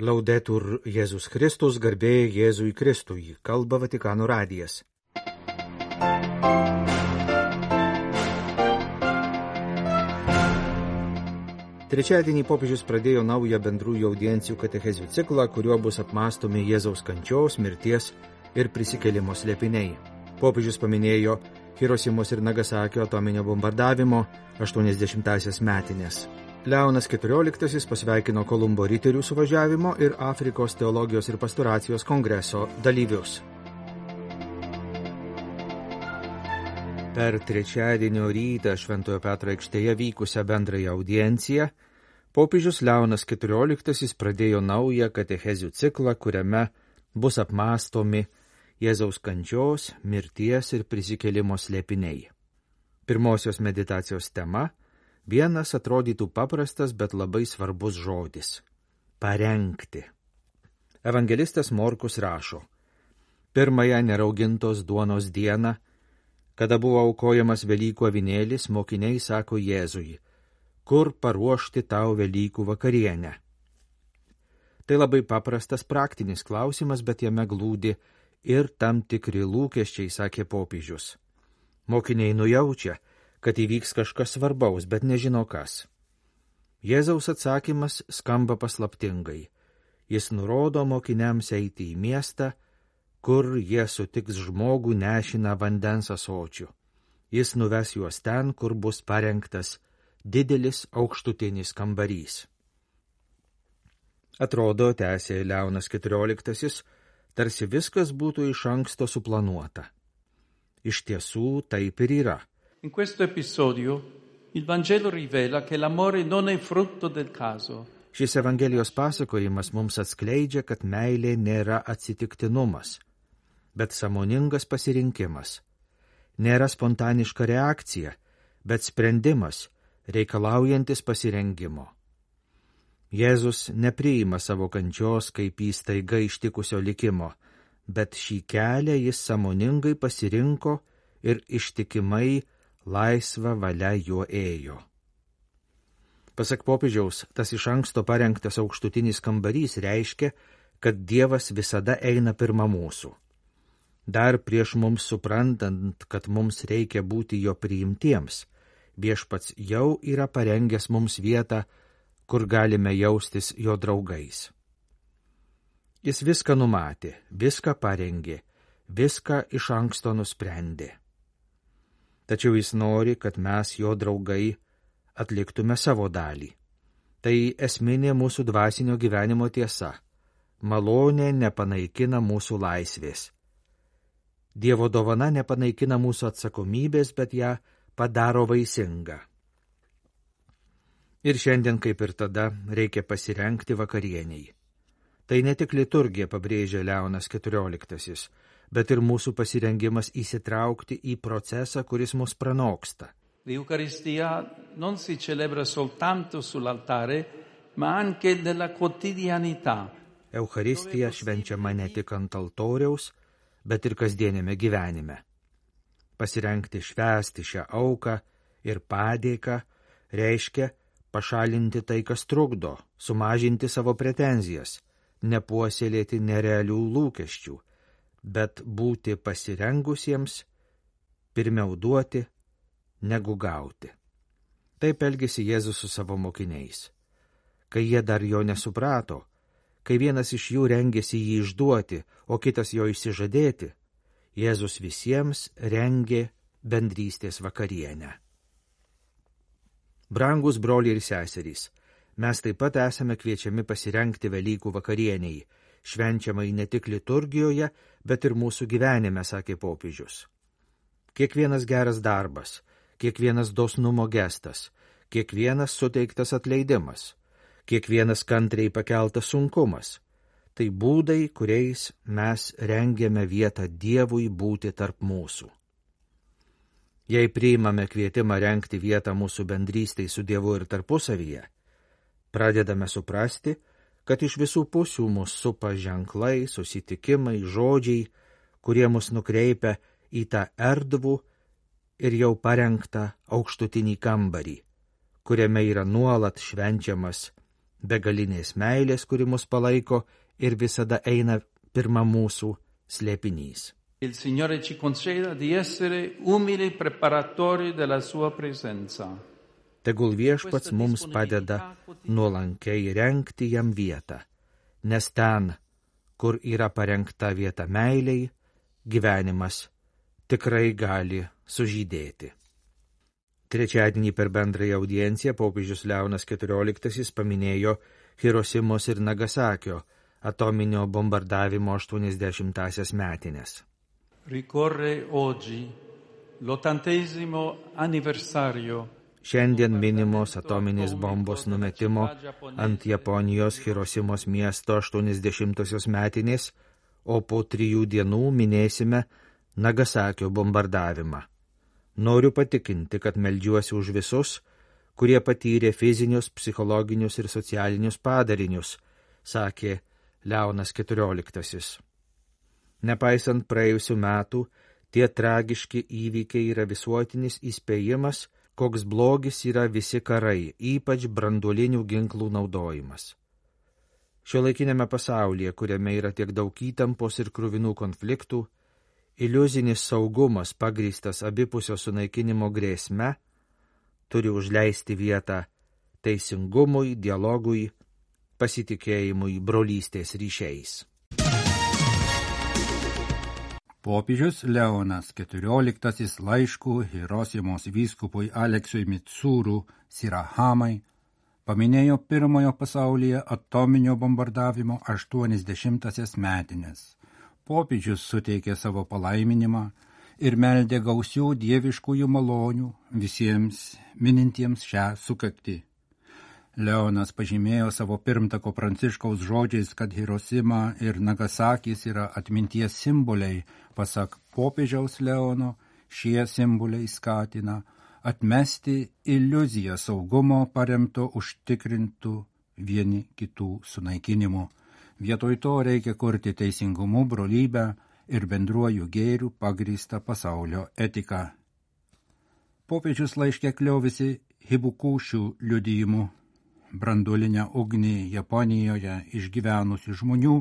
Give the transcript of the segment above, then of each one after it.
Laudetur Jėzus Kristus, garbė Jėzui Kristui, kalba Vatikano radijas. Trečiadienį popiežius pradėjo naują bendrųjų audiencijų katechezių ciklą, kuriuo bus apmąstomi Jėzaus kančios, mirties ir prisikėlimo slėpiniai. Popiežius paminėjo Hirošimos ir Nagasakio atominio bombardavimo 80-asias metinės. Leonas XIV pasveikino Kolumbo riterių suvažiavimo ir Afrikos teologijos ir pastoracijos kongreso dalyvius. Per trečiadienio rytą Šventojo Petro aikštėje vykusią bendrąją audienciją popiežius Leonas XIV pradėjo naują katechezių ciklą, kuriame bus apmąstomi Jėzaus kančios, mirties ir prisikėlimo slėpiniai. Pirmosios meditacijos tema – vienas atrodytų paprastas, bet labai svarbus žodis – parengti. Evangelistas Morkus rašo: pirmąją neraugintos duonos dieną, kada buvo aukojamas Velykų avinėlis, mokiniai sako Jėzui: kur paruošti tau Velykų vakarienę? Tai labai paprastas praktinis klausimas, bet jame glūdi ir tam tikri lūkesčiai, sakė popiežius. Mokiniai nujaučia, kad įvyks kažkas svarbaus, bet nežino kas. Jėzaus atsakymas skamba paslaptingai. Jis nurodo mokiniams eiti į miestą, kur jie sutiks žmogų nešiną vandens ąsočiu. Jis nuves juos ten, kur bus parengtas didelis aukštutinis kambarys. Atrodo, tęsė Leonas XIV, tarsi viskas būtų iš anksto suplanuota. Iš tiesų taip ir yra. In questo episodio il Vangelo rivela che l'amore non è frutto del caso. Šis Evangelijos pasakojimas mums atskleidžia, kad meilė nėra atsitiktinumas, bet sąmoningas pasirinkimas. Nėra spontaniška reakcija, bet sprendimas, reikalaujantis pasirengimo. Jėzus nepriima savo kančios kaip įstaiga ištikusio likimo, bet šį kelią jis sąmoningai pasirinko ir ištikimai laisva valia juo ėjo. Pasak popiežiaus, tas iš anksto parengtas aukštutinis kambarys reiškia, kad Dievas visada eina pirma mūsų. Dar prieš mums suprantant, kad mums reikia būti jo priimtiems, Viešpats jau yra parengęs mums vietą, kur galime jaustis jo draugais. Jis viską numatė, viską parengė, viską iš anksto nusprendė. Tačiau jis nori, kad mes, jo draugai, atliktume savo dalį. Tai esminė mūsų dvasinio gyvenimo tiesa. Malonė nepanaikina mūsų laisvės. Dievo dovana nepanaikina mūsų atsakomybės, bet ją padaro vaisingą. Ir šiandien, kaip ir tada, reikia pasirengti vakarieniai. Tai ne tik liturgija, pabrėžia Leonas XIV, bet ir mūsų pasirengimas įsitraukti į procesą, kuris mus pranoksta. L'Eucaristia non si celebra soltanto sull'altare, ma anche nella quotidianità. Eucharistija švenčiama ne tik ant altoriaus, bet ir kasdienėme gyvenime. Pasirengti švęsti šią auką ir padėką reiškia pašalinti tai, kas trukdo, sumažinti savo pretenzijas, nepuoselėti nerealių lūkesčių, bet būti pasirengusiems, pirmiau duoti, negu gauti. Taip elgėsi Jėzus su savo mokiniais. Kai jie dar jo nesuprato, kai vienas iš jų rengėsi jį išduoti, o kitas jo išsižadėti, Jėzus visiems rengė bendrystės vakarienę. Brangus broliai ir seserys, mes taip pat esame kviečiami pasirengti Velykų vakarieniai, švenčiamai ne tik liturgijoje, bet ir mūsų gyvenime, sakė popiežius. Kiekvienas geras darbas, kiekvienas dosnumo gestas, kiekvienas suteiktas atleidimas, kiekvienas kantriai pakeltas sunkumas, tai būdai, kuriais mes rengiame vietą Dievui būti tarp mūsų. Jei priimame kvietimą rengti vietą mūsų bendrystei su Dievu ir tarpusavyje, pradedame suprasti, kad iš visų pusių mus supa ženklai, susitikimai, žodžiai, kurie mus nukreipia į tą erdvų ir jau parengtą aukštutinį kambarį, kuriame yra nuolat švenčiamas begalinės meilės, kuri mus palaiko ir visada eina pirma mūsų slėpinys. Il Signore ci conceda di essere umili preparatori della sua presenza. Tegul Viešpats mums padeda nuolankiai rengti jam vietą, nes ten, kur yra parengta vieta meiliai, gyvenimas tikrai gali sužydėti. Trečiadienį per bendrąją audienciją popiežius Leonas XIV paminėjo Hirosimos ir Nagasakio atominio bombardavimo 80-asias metinės. Ricorre oggi l'80° anniversario. Šiandien minimos atominės bombos numetimo ant Japonijos Hirosimos miesto 80-osios metinės, o po 3 dienų minėsime Nagasakio bombardavimą. Noriu patikinti, kad meldžiuosi už visus, kurie patyrė fizinius, psichologinius ir socialinius padarinius, sakė Leonas XIV. Nepaisant praėjusių metų, tie tragiški įvykiai yra visuotinis įspėjimas, koks blogis yra visi karai, ypač branduolinių ginklų naudojimas. Šiuolaikinėme pasaulyje, kuriame yra tiek daug įtampos ir kruvinų konfliktų, iliuzinis saugumas pagrįstas abipusio sunaikinimo grėsme turi užleisti vietą teisingumui, dialogui, pasitikėjimui, brolystės ryšiais. Popiežius Leonas XIV laiškų Hirosimos vyskupui Aleksui Mitsūrų Sirahamai paminėjo pirmojo pasaulyje atominio bombardavimo 80-asias metinės. Popiežius suteikė savo palaiminimą ir meldė gausių dieviškųjų malonių visiems minintiems šią sukaktį. Leonas pažymėjo savo pirmtako Pranciškaus žodžiais, kad Hirosima ir Nagasakis yra atminties simboliai. Pasak popiežiaus Leono, šie simboliai skatina atmesti iliuziją saugumo paremto užtikrintų vieni kitų sunaikinimu. Vietoj to reikia kurti teisingumu, brolybę ir bendruoju gėriu pagrįstą pasaulio etiką. Popiežius laiške kliovėsi Hibukušių liudijimu, branduolinę ugnį Japonijoje išgyvenusių žmonių,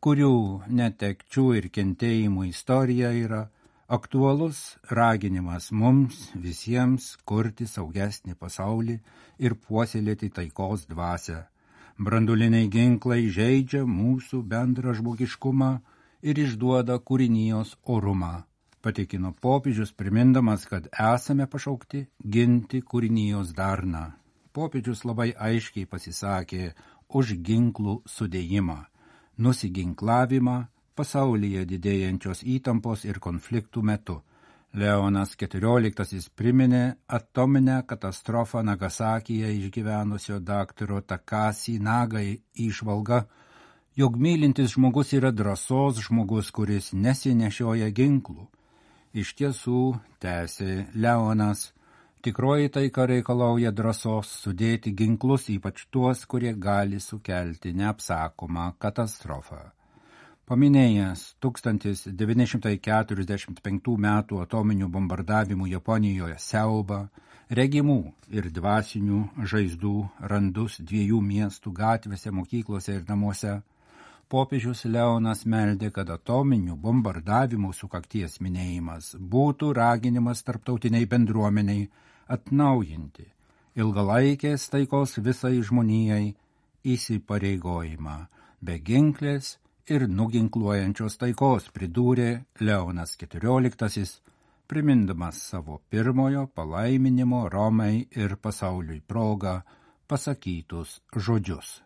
kurių netekčių ir kentėjimų istorija yra aktualus raginimas mums visiems kurti saugesnį pasaulį ir puoselėti taikos dvasią. Branduoliniai ginklai žeidžia mūsų bendrą žmogiškumą ir išduoda kūrinijos orumą, patikino popiežius, primindamas, kad esame pašaukti ginti kūrinijos darną. Popiežius labai aiškiai pasisakė už ginklų sudėjimą, nusiginklavimą pasaulyje didėjančios įtampos ir konfliktų metu. Leonas XIV priminė atominę katastrofą Nagasakyje išgyvenusio daktaro Takashi Nagai įžvalgą, jog mylintis žmogus yra drąsos žmogus, kuris nesinešioja ginklų. Iš tiesų, tęsė Leonas, tikroji taika reikalauja drąsos sudėti ginklus, ypač tuos, kurie gali sukelti neapsakomą katastrofą. Paminėjęs 1945 metų atominių bombardavimų Japonijoje siaubą, regimų ir dvasinių žaizdų randus 2 miestų gatvėse, mokyklose ir namuose, popiežius Leonas meldė, kad atominių bombardavimų sukakties minėjimas būtų raginimas tarptautiniai bendruomeniai atnaujinti ilgalaikės taikos visai žmonijai įsipareigojimą be ginklės ir nuginkluojančios taikos, pridūrė Leonas XIV, primindamas savo pirmojo palaiminimo Romai ir pasauliui progą pasakytus žodžius.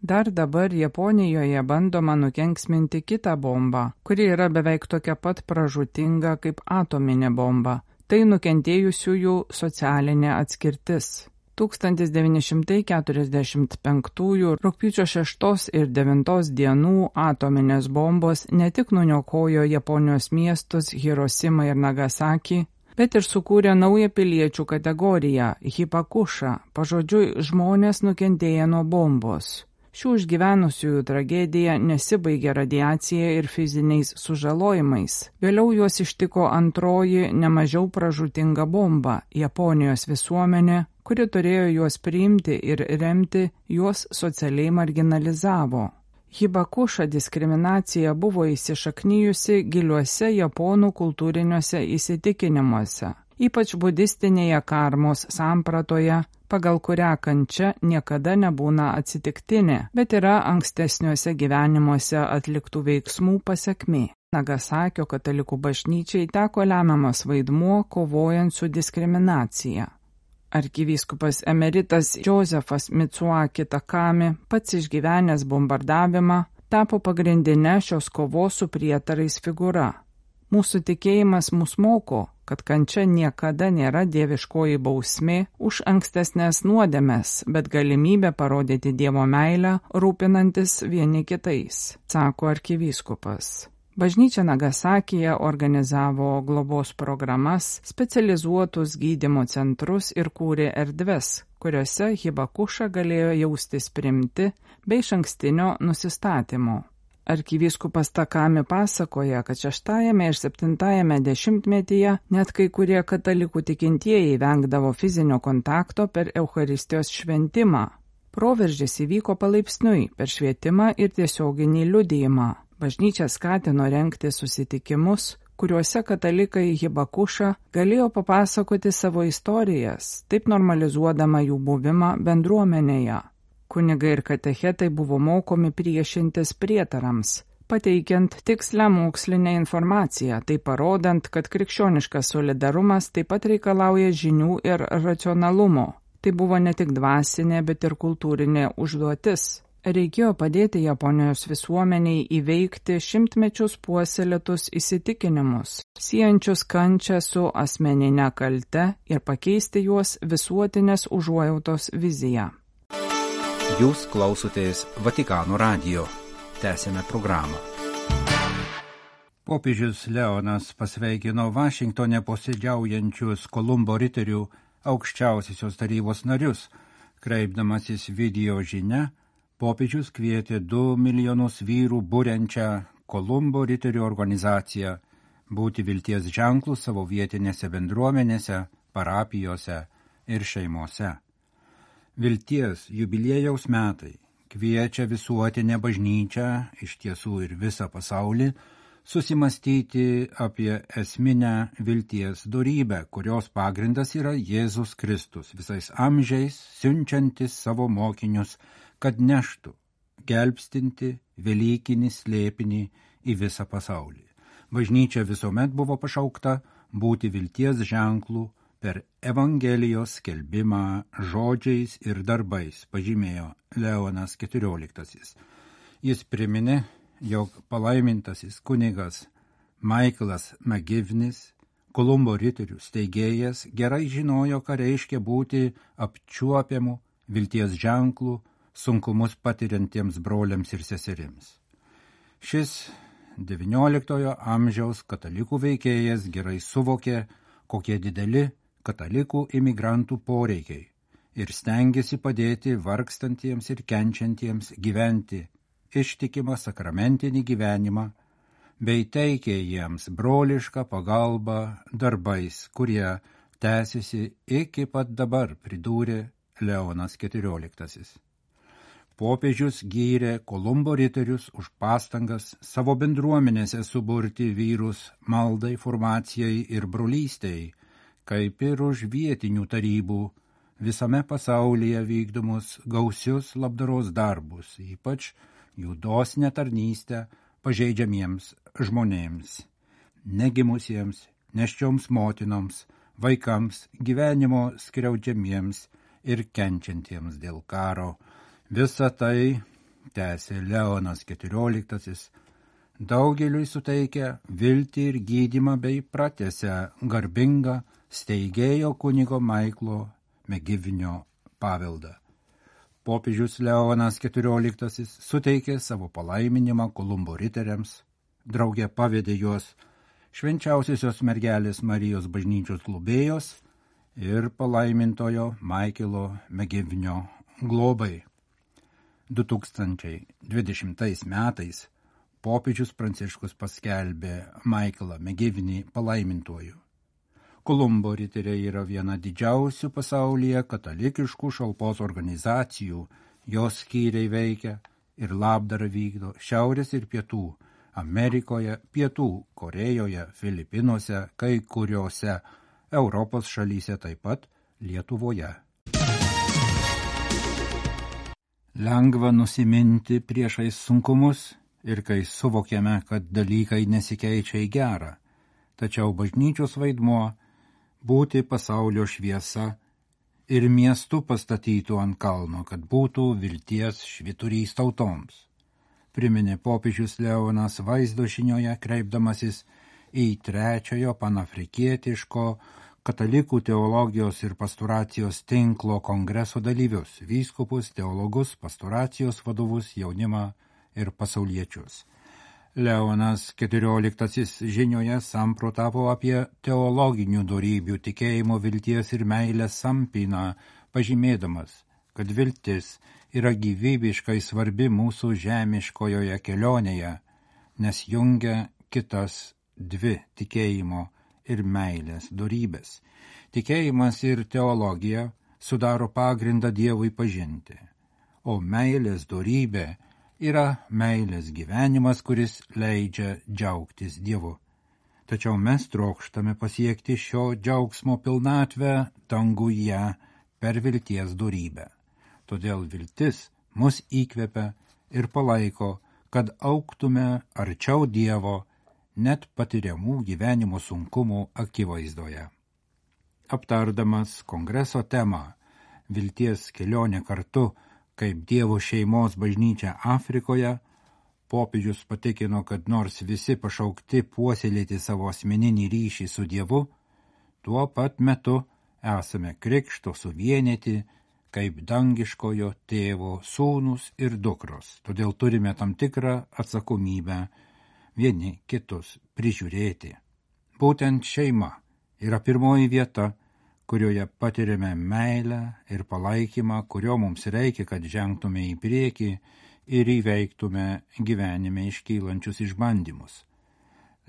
Dar dabar Japonijoje bandoma nukenksminti kitą bombą, kuri yra beveik tokia pat pražūtinga kaip atominė bomba. Tai nukentėjusiųjų socialinė atskirtis. 1945 rugpjūčio 6 ir 9 dienų atominės bombos ne tik nuniokojo Japonijos miestus Hirosimą ir Nagasakį, bet ir sukūrė naują piliečių kategoriją – hipakušą, pažodžiui žmonės nukentėję nuo bombos. Šių išgyvenusiųjų tragedija nesibaigė radiacija ir fiziniais sužalojimais. Vėliau juos ištiko antroji, nemažiau pražūtinga bomba – Japonijos visuomenė, kuri turėjo juos priimti ir remti, juos socialiai marginalizavo. Hibakuša diskriminacija buvo įsišaknyjusi giliuose japonų kultūriniuose įsitikinimuose, ypač budistinėje karmos sampratoje, pagal kurią kančia niekada nebūna atsitiktinė, bet yra ankstesniuose gyvenimuose atliktų veiksmų pasekmė. Nagasakio katalikų bažnyčiai teko lemiamas vaidmuo kovojant su diskriminacija. Arkivyskupas emeritas Josefas Mitsuaki Takami, pats išgyvenęs bombardavimą, tapo pagrindinė šios kovos su prietarais figūra. Mūsų tikėjimas mus moko, kad kančia niekada nėra dieviškoji bausmė už ankstesnės nuodėmes, bet galimybė parodyti Dievo meilę, rūpinantis vieni kitais, sako arkivyskupas. Bažnyčia Nagasakyje organizavo globos programas, specializuotus gydymo centrus ir kūrė erdves, kuriuose Hibakuša galėjo jaustis priimti bei išankstinio nusistatymo. Arkivyskupas Takami pasakoja, kad 6 ir 7 dešimtmetyje net kai kurie katalikų tikintieji vengdavo fizinio kontakto per Eucharistijos šventimą. Proveržis įvyko palaipsniui per švietimą ir tiesioginį liudijimą. Bažnyčia skatino rengti susitikimus, kuriuose katalikai Hibakuša galėjo papasakoti savo istorijas, taip normalizuodama jų buvimą bendruomenėje. Kunigai ir katechetai buvo mokomi priešintis prietarams, pateikiant tikslę mokslinę informaciją, tai parodant, kad krikščioniškas solidarumas taip pat reikalauja žinių ir racionalumo. Tai buvo ne tik dvasinė, bet ir kultūrinė užduotis. Reikėjo padėti Japonijos visuomeniai įveikti šimtmečius puoselėtus įsitikinimus, siejančius kančią su asmeninė kalte ir pakeisti juos visuotinės užuojautos viziją. Jūs klausotės Vatikano radijo. Tęsėme programą. Popiežius Leonas pasveikino Vašingtone posėdžiaujančius Kolumbo riterių aukščiausiosios tarybos narius, kreipdamasis video žinia. Popiežius kvietė 2 milijonus vyrų būrenčią Kolumbo riterių organizaciją būti vilties ženklų savo vietinėse bendruomenėse, parapijose ir šeimose. Vilties jubiliejaus metai kviečia visuotinę bažnyčią, iš tiesų ir visą pasaulį, susimastyti apie esminę vilties dorybę, kurios pagrindas yra Jėzus Kristus, visais amžiais siunčiantis savo mokinius, kad neštų, gelbstinti velykinį slėpinį į visą pasaulį. Bažnyčia visuomet buvo pašaukta būti vilties ženklų per Evangelijos skelbimą žodžiais ir darbais, pažymėjo Leonas XIV. Jis priminė, jog palaimintasis kunigas Michaelas McGivnis, Kolumbo riterių steigėjas, gerai žinojo, ką reiškia būti apčiuopiamu vilties ženklų sunkumus patiriantiems broliams ir seserims. Šis XIX amžiaus katalikų veikėjas gerai suvokė, kokie dideli katalikų imigrantų poreikiai ir stengėsi padėti vargstantiems ir kenčiantiems gyventi ištikimą sakramentinį gyvenimą, bei teikė jiems brolišką pagalbą darbais, kurie tęsiasi iki pat dabar, pridūrė Leonas XIV. Popiežius gyrė Kolumbo riterius už pastangas savo bendruomenėse suburti vyrus maldai, formacijai ir brolystei, kaip ir už vietinių tarybų visame pasaulyje vykdomus gausius labdaros darbus, ypač jų dosnią tarnystę pažeidžiamiems žmonėms, negimusiems, nėščioms motinoms, vaikams, gyvenimo skriaudžiamiems ir kenčiantiems dėl karo. Visa tai, tęsė Leonas XIV, daugeliui suteikia viltį ir gydymą bei pratęsia garbingą steigėjo kunigo Michaelo McGivinio paveldą. Popiežius Leonas XIV suteikė savo palaiminimą Kolumbo riteriams, drauge pavedė juos švenčiausiosios mergelės Marijos bažnyčios globėjos ir palaimintojo Michaelo McGivinio globai. 2020 metais popiežius Pranciškus paskelbė Michaelą McGivinį palaimintuoju. Kolumbo riteriai yra viena didžiausių pasaulyje katalikiškų šalpos organizacijų. Jos skyriai veikia ir labdarą vykdo Šiaurės ir Pietų Amerikoje, Pietų Korėjoje, Filipinuose, kai kuriuose Europos šalyse, taip pat Lietuvoje. Lengva nusiminti priešais sunkumus ir kai suvokiame, kad dalykai nesikeičia į gerą. Tačiau bažnyčios vaidmuo būti pasaulio šviesa ir miestų pastatytų ant kalno, kad būtų vilties švyturys tautoms. Priminė popiežius Leonas vaizdo žinioje, kreipdamasis į trečiojo panafrikietiško katalikų teologijos ir pastoracijos tinklo kongreso dalyvius, vyskupus, teologus, pastoracijos vadovus, jaunimą ir pasauliečius. Leonas XIV žinioje samprotavo apie teologinių dorybių, tikėjimo, vilties ir meilės sampyną, pažymėdamas, kad viltis yra gyvybiškai svarbi mūsų žemiškojoje kelionėje, nes jungia kitas dvi tikėjimo ir meilės dorybės. Tikėjimas ir teologija sudaro pagrindą Dievui pažinti, o meilės dorybė yra meilės gyvenimas, kuris leidžia džiaugtis Dievu. Tačiau mes trokštame pasiekti šio džiaugsmo pilnatvę danguje per vilties dorybę. Todėl viltis mus įkvepia ir palaiko, kad augtume arčiau Dievo net patiriamų gyvenimo sunkumų akivaizdoje. Aptardamas kongreso temą vilties kelionė kartu kaip Dievo šeimos bažnyčia Afrikoje, popiežius patikino, kad nors visi pašaukti puoselėti savo asmeninį ryšį su Dievu, tuo pat metu esame krikšto suvienyti kaip dangiškojo tėvo sūnus ir dukros. Todėl turime tam tikrą atsakomybę vieni kitus prižiūrėti. Būtent šeima yra pirmoji vieta, kurioje patiriame meilę ir palaikymą, kurio mums reikia, kad žengtume į priekį ir įveiktume gyvenime iškylančius išbandymus.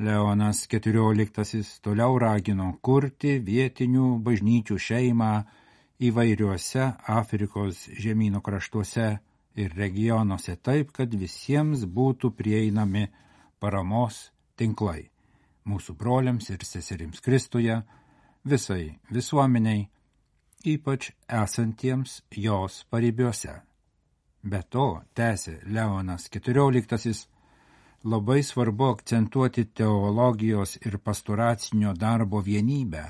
Leonas XIV toliau ragino kurti vietinių bažnyčių šeimą įvairiuose Afrikos žemyno kraštuose ir regionuose taip, kad visiems būtų prieinami paramos tinklai mūsų broliams ir seserims Kristuje, visai visuomeniai, ypač esantiems jos paribiuose. Be to, tęsė Leonas XIV, labai svarbu akcentuoti teologijos ir pastoracinio darbo vienybę.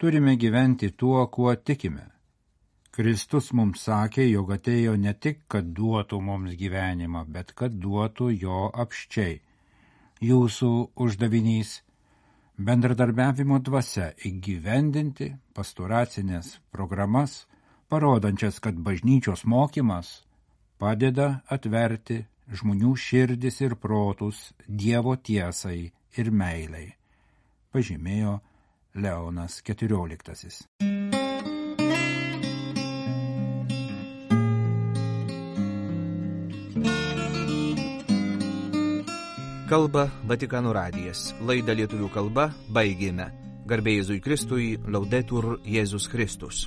Turime gyventi tuo, kuo tikime. Kristus mums sakė, jog atėjo ne tik, kad duotų mums gyvenimą, bet kad duotų jo apsčiai. Jūsų uždavinys bendradarbiavimo dvasia įgyvendinti pastoracinės programas, parodančias, kad bažnyčios mokymas padeda atverti žmonių širdis ir protus Dievo tiesai ir meilei, pažymėjo Leonas XIV. Kalba Vatikano radijas. Laidą lietuvių kalba baigėme. Garbė Jėzui Kristui, Laudetur Jėzus Kristus.